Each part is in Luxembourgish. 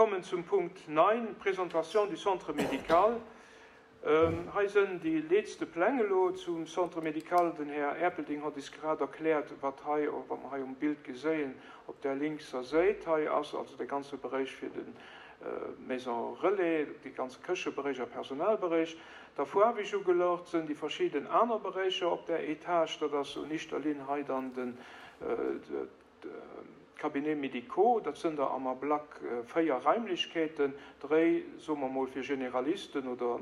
Kommen zum Punkt 9, Présentation du Centre médical. Hei sënn déi leetste Pläng elo zum Centre médical. Den Här Erpelding hott is grad erkläert, wat hei, wat mer hei um Bild geséien op där linkser Séit. Hei ass also de ganze Beréich fir de Maison relais, dee ganze Këcheberéich a Personalberéich. Da faarweg ugelaucht sënn déi verschidden aner Beréicher op där Etage. Dat ass un ischter Linn hei dann den, D'Cabinets médicaux, dat sënn der am Ablack 4 Raimlechkeeten, dréi, soe mer mol, fir Generalisten oder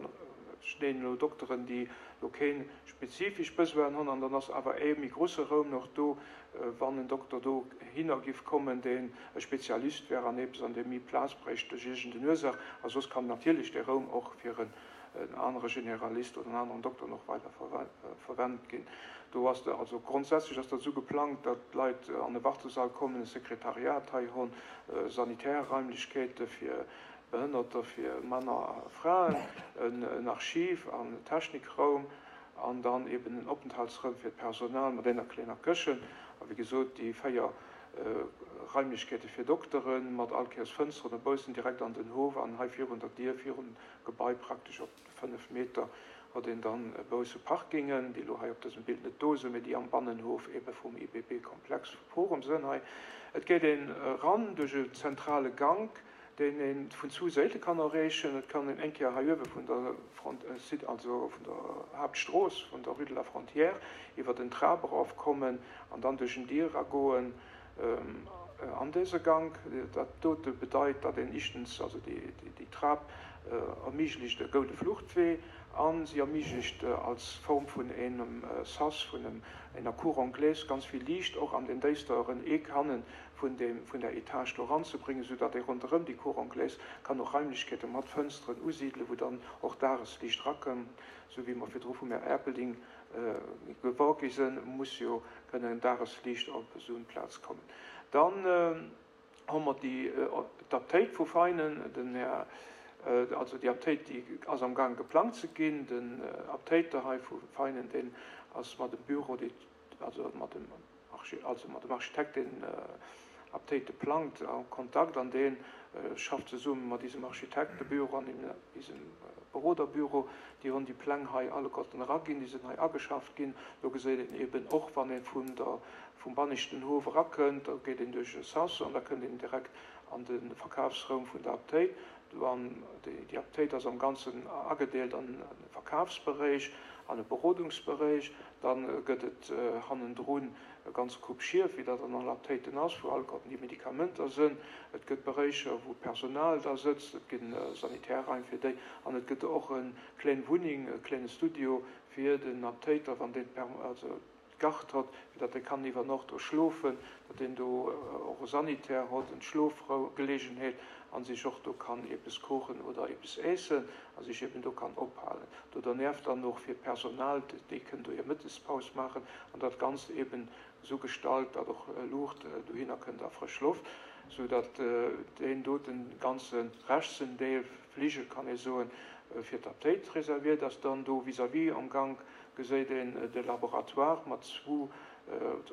ech nennen elo Dokteren, déi elo kee spezifesch Besoinen hunn, an dann ass awer ee méi grusse Raum nach do, wann en Dokter dohinner giff kommen, deen e Spezialist wär an eppes, an dee méi Plaz bréicht duerch iergend en Ursaach. A soss kann natierlech dee Raum och fir en anere Generalist oder en aneren Dokter och weider verwennt ginn. Do ass de, also grondsätzlech ass dat esou geplangt, datt d'Leit an e Wartesall kommen, e Sekretariat hei hunn, sanitär Raimlechkeete fir Behënnerter, fir Männer a Fraen, en Archiv an Technikraum an dann eben en Openthaltsraum fir d'Personal mat enger klenger Këchen a wéi gesot déi 4 Raimlechkeete fir Doktere mat all Kéiers Fënsteren no baussen direkt an den Hof an hei virun der Dier virum Gebai praktesch op 5 Meter huet een dann bausse Parkingen, déi elo hei op dësem Bild net do sinn, mee déi am Bannenhof ebe vum IBB-Komplex vu Forum sënn hei. Et geet een eran duerch e zentrale Gank, deen ee vun zwou Séite kann erreechen. Et kann een eng Kéier hei uewe vun der Front, Site, also vun der Haaptstrooss, vun der Rue de la Frontière, iwwer den Trap erofkommen an dann duerch en Dier eragoen. An dëse Gank, dat dote bedeit, datt een éischtens, also déi Trap erméiglecht e goude Fluchtwee a si erméiglecht als Form vun engem Sas, vun enger Cour anglaise ganz vill Liicht och an den déisteren Eck hanne vun der Etage do eranzebréngen, esou datt ee ronderëm déi Cour anglaise kann och Raimlechkeete mat Fënsteren usidelen, wou dann och Dagesliicht erakënnt, esou wéi mer virdru vum Här Erpelding Gewor gi sinn, muss jo kënnen Dagesliicht op esou en Plaz kommen. Dann hu mer déi d'Aptéit vu Veinen, den Här, also déi Aptéit déi ass am Gaang geplangt ze ginn. Den Aptéiter hei vu Veinen, deen ass mat dem Büro, dee, also mat dem also mat dem Architekt, deen Aptéite plangt, a Kontakt an dee schafft zesumme mat isem Architektebüro an isem Beroderbüro. Déi hunn déi Pläng hei alleguerten eraginn, déi sinn hei ageschafft ginn. Do geséit een eben och, wann ee vun der, vum banneschten Hof erakënnt, da geet een duerch e Sas an da kënnt een direkt an de Verkafsraum vun der Aptéit. An déi Aptéit ass am Ganzen agedeelt an e Verkafsberéich an e Berodungsberéich. Da gëtt et hannendrun e ganze Koup Schief, wéi dat an alle Aptéiten ass, wou alleguerten déi Medikamenter sënn. Et gëtt Beréicher, wou d'Personal da sëtzt, et ginn Sanitärraim fir déi an et gëtt och e kléin Wunneng, e kléine Studio fir den Aptéiter, wann deen also d'Gard hott, fir datt e kann iwwer Nocht do schlofen, datt deen do och e Sanitär hott, en Schlofgelegenheet a sech och do kann eppes kochen oder eppes äessen a sech eben do kann ophalen. Do dernieft dann och fir d'Personal, déi kënnen do hir Mëttespaus maachen an dat Ganzt eben esou gestalt, datt och Luucht dohinner kënnt a frësch Loft, sou datt deen doten ganze rechtsen Deel, Fligel kann ee soen, fir d'Aptéit reserviert ass. Dann do vis-à-vis am Gank geséit een de Laboratoire mat zwou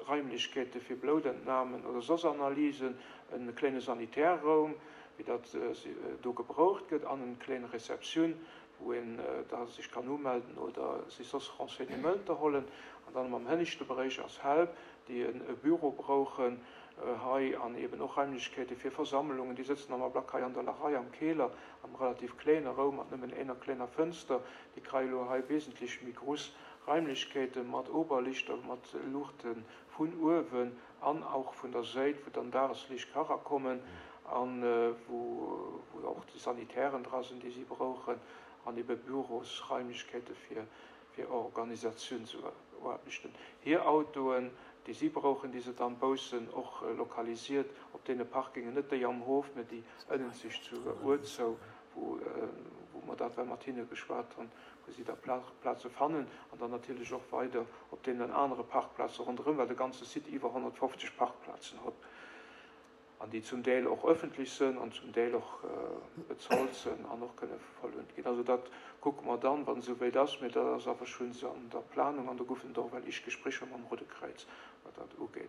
Raimlechkeete fir Bloutentnamen oder soss Analysen, e kléine Sanitärraum, wéi dat do gebraucht gëtt, an en kléin Receptioun, wou een da sech kann umelden oder sech soss Renseignementer hollen. An dann am hënneschte Beréich ass Help, déi e Büro brauchen hei an eben och Raimlechkeete fir Versammlungen. Déi sëtzen am Ablack hei an der Larei am Keler, am relativ kléine Raum mat nëmmen éner kléiner Fënster. Déi kreie lo hei wesentlech méi gruss Raimlechkeete mat Oberlichter, mat Luuchte vun uewen an och vun der Séit, wou dann Dageslicht ka rakommen an wou och déi Sanitären dra sinn, déi si brauchen, an ebe Bürosraimlechkeete fir fir Organisatiounsaarbechten. Hir Autoen, déi si brauchen, déi se dann baussen och lokalisiert op deene Parkingen, net déi am Hof, mä déi ënnenzeg zu Uerzou, wou mer dat well mat hinne geschwat hunn, wou si da Plaze fannen, an dann natierlech och weider op deenen anere Parkplaze ronderëm, well de ganze Site iwwer 150 Parkplazen huet an déi zum Deel och öffentlech sënn an zum Deel och bezolt sënn an och kënne verlount ginn. Also dat kucke mer dann, wann et esouwäit ass, mä dat ass awer schonns an der Planung an do goufen et och well éischt Gesprécher mam Roude Kräiz, wat dat ugeet.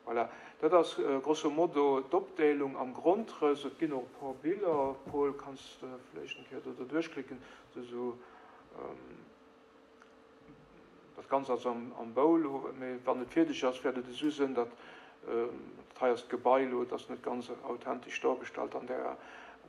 Voilà, dat ass grosso modo d'Opdeelung am Grondrëss. Et ginn och e puer Biller. Paul, kanns de vläicht eng Kéier do derduerchklicken? Esou dat Ganzt ass am Bau elo, mee wann et fierdeg ass, wäert et esou sënn, datt, dat hei ass d'Gebai elo, et ass net ganz authentesch dargestallt an där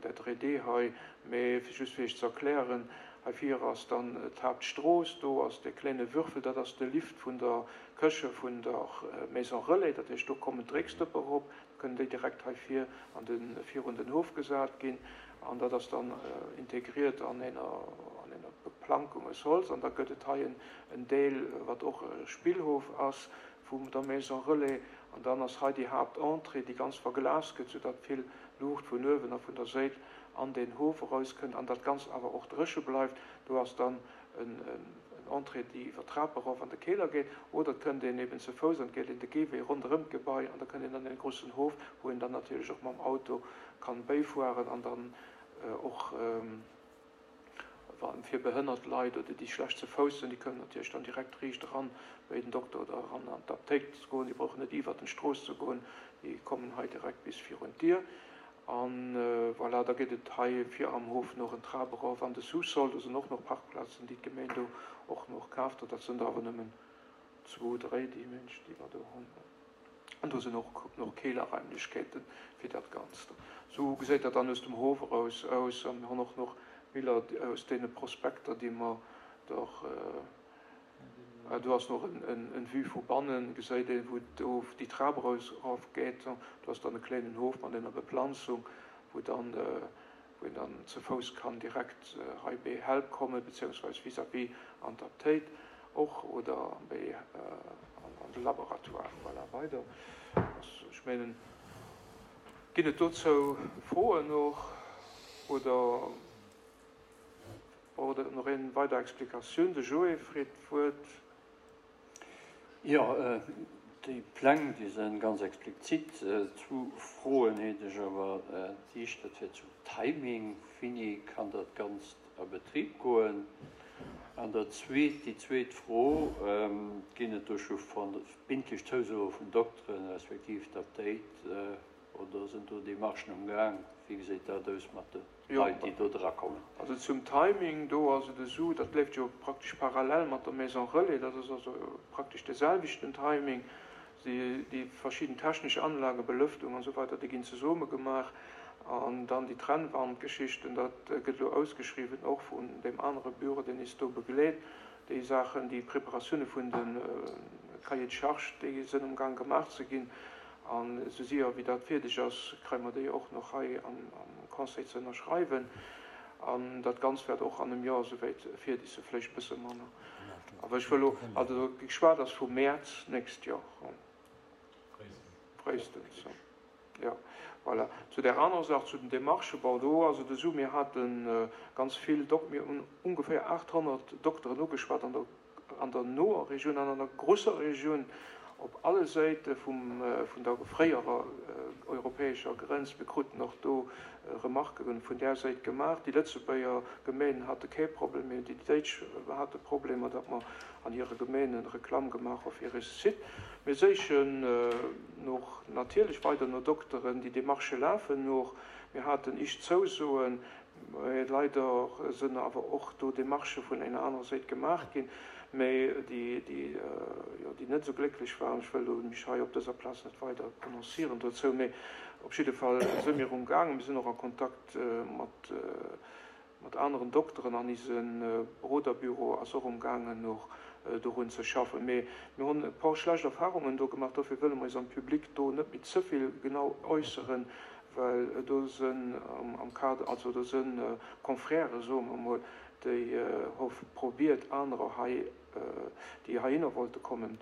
3D hei, mee just fir Iech ze erklären, hei vir ass dann d'Haaptstrooss, do ass dee kléine Würfel, dat ass de Lift vun der Këche vun der Maison Relais, dat heescht do kommen d'Drécksdëppe erop, da kënnen déi direkt hei vir an de virun den Hof gesat ginn an dat ass dann integriert an ener an ener Beplankung aus Holz an da gëtt et hei en en Deel wat och e Spillhof ass vum der Maison Relais an dann ass hei déi Haaptentrée déi ganz verglast gëtt, soudatt vill Luucht vun uewen a vun der Séit an deen Hof erauskënnt an dat Ganzt awer och dréche bleift. Do ass dann en Entrée déi iwwer d'Trap erof an de Keler geet, oder et kënnt een eben ze Fouss an et geet een de Géiwee ronderëm d'Gebai an da kënnt een an dee groussen Hof, wou een dann natierlech och mam Auto kann béifueren an dann och fir behënnert Leit oder déi schlecht ze Fouss sinn, déi kënnen natierlech dann direkt riicht eran bei den Dokter oder eran an d'Aptéikt goen, déi brauchen net iwwert den Strooss ze goen, déi kommen hei direkt bis virun d'Dier. An voilà, da geet et hei vir am Hof nach en Trap erof an de Sous-sol. Do sinn och nach Parkplazen, déi d'Gemeen do och nach kaaft huet. Dat sinn der awer nëmmen zwou, dréi, déi Mensch, déi mer do hunn. An do sinn och nach Keelerraimlechkeete fir dat Ganzt. Esou geséit dat dann aus dem Hof eraus aus. A mir hunn och nach Biller aus deene Prospekter, déi mer der. Do ass nach en Vue vu bannen, geséit een wou do déi Trap erof geet. Do ass dann e kléinen Hof mat enger Beplanzung, wou dann wou een dann ze Fouss kann direkt hei béi Help kommen, beziehungsweise vis-à-vis an d'Aptéit och oder béi an de Laboratoire. Voilà, weider ass, ech mengen, ginn et dozou Froen och oder? Braucht et nach een weider Explikatioun? De Joé freet d'Wuert. Jo, déi Pläng, déi sinn ganz explizit. Zwou Froen hätt ech awer. Déi éischt, dat wär zum Timing. Wéini kann dat Ganzt a Betrib goen? An dat zweet, déi zweet Fro, Ginn et do scho verbindlech Zousoe vun Dokteren, respektiv d'Apdéit, oder sinn do Demarchen um Gaang? Wéi geséit dat aus mat de Leit, déi do dra kommen. Also zum Timing, do ass et esou, dat leeft jo praktesch parallel mat der Maison Relais, dat ass also praktesch de selwechten Timing. Déi verschidden technesch Anlagen, Belëftung an esou weider, déi ginn zesumme gemaach. An dann déi Trennwandgeschichten, dat gëtt elo ausgeschriwwen, och vun deem anere Büro, deen is do begleet. Déi Saachen, déi Preparatioune vun de Cahiers de charges, déi sënn amgaang gemaach ze ginn. An esou séier wéi dat fierdeg ass, kréie mer déi och nach hei am Conseil ze ënnerschreiwen. An dat Ganzt wäert och an engem Joer esouwäit fierdeg sinn, vläicht e bësse manner. Awer ech wëll elo, also geschwat ass vu Mäerz nächst Joer, fréistens. Jo, voilà. Zu där anerer Saach, zu den Demarchen, bon, do ass et esou, mir hate ganz vill Dok-, mir hunn ongeféier 800 Dokteren ugeschwat an der an der noer Regioun an an der grosser Regioun op alle Säite vum vun der fréierer europäescher Grenz. Mir kruten och do Remarquen vun där Säit gemaach. Déi Lëtzebuerger Geméinen hate kee Problem, mee déi Déitsch hate Problemer, datt mer an hire Geméinen Reklamm gemaach hu fir eise Site. Mir séichen och natierlech weider no Dokteren. Déi Demarchë lafen och. Mir haten icht Zousoen. Mä leider sënn awer och do Demarchë vun enger anerer Séit gemaach ginn, mä déi, jo, déi net esou glécklech waren. Ech wëll elo mech hei op dëser Plaz net weider prononcieren dozou, mä op jidde Fall së mir umgaangen. Mir sinn och a Kontakt mat, mat aneren Dokteren an ise Beroderbüro ass och umgaangen och dorun ze schaffen. Mä mir hunn e paar schlecht Erfahrungen do gemaach, dofir wëlle mer eis am Public do net méi ze vill genau äusseren, well do sënn am Kader, also do sënn Confrèrë, soe mer emol, déi hu probiert anerer hei, déi heihinner wollte kommen,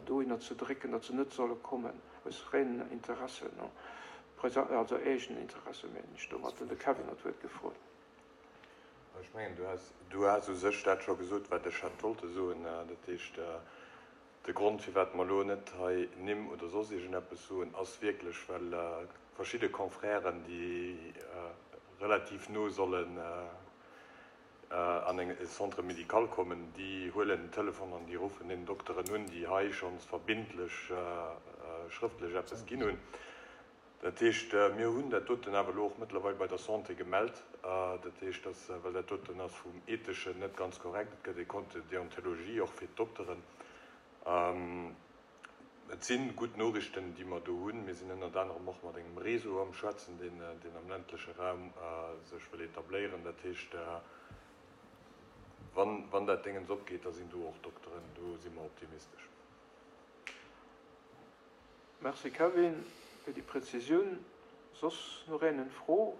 dohinner ze drécken, datt se net solle kommen, aus reinen Interessen, also eegenen Interesse mengen ech domat. De Kevin huet d'Wuert gefrot. Ech mengen, du has u sech dat scho gesot, wat ech hätt wollte soen. Dat heescht, De Grond, firwat mer elo net hei Nimm oder soss iergendeppes soen, ass wierklech, well verschidde Confrèren, déi relativ no sollen an e Centre médical kommen, déi huelen den Telefon an déi ruffen deenen Dokteren un, déi hei schonns verbindlech. schrëftlech eppes ginn hunn. Dat heescht, mir hunn dat doten awer elo och mëttlerweil bei der Santé gemellt. Dat heescht, dass, well dat doten ass vum Etheschen net ganz korrekt, et gëtt e Code de déontologie och fir d'Dokteren. Et si gutt Noriichten, déi mer do hunn. Mir sinn ënnert anerem och mat engem Réseau am Schwätzen, deen am ländleche Raum sech wëll etabléieren. Dat heescht, wann dat Déngens opgeet, da sinn do och Dokteren. Do si mer optimistesch. Merci Kevin fir déi Präzisioun. Soss nach een en Fro?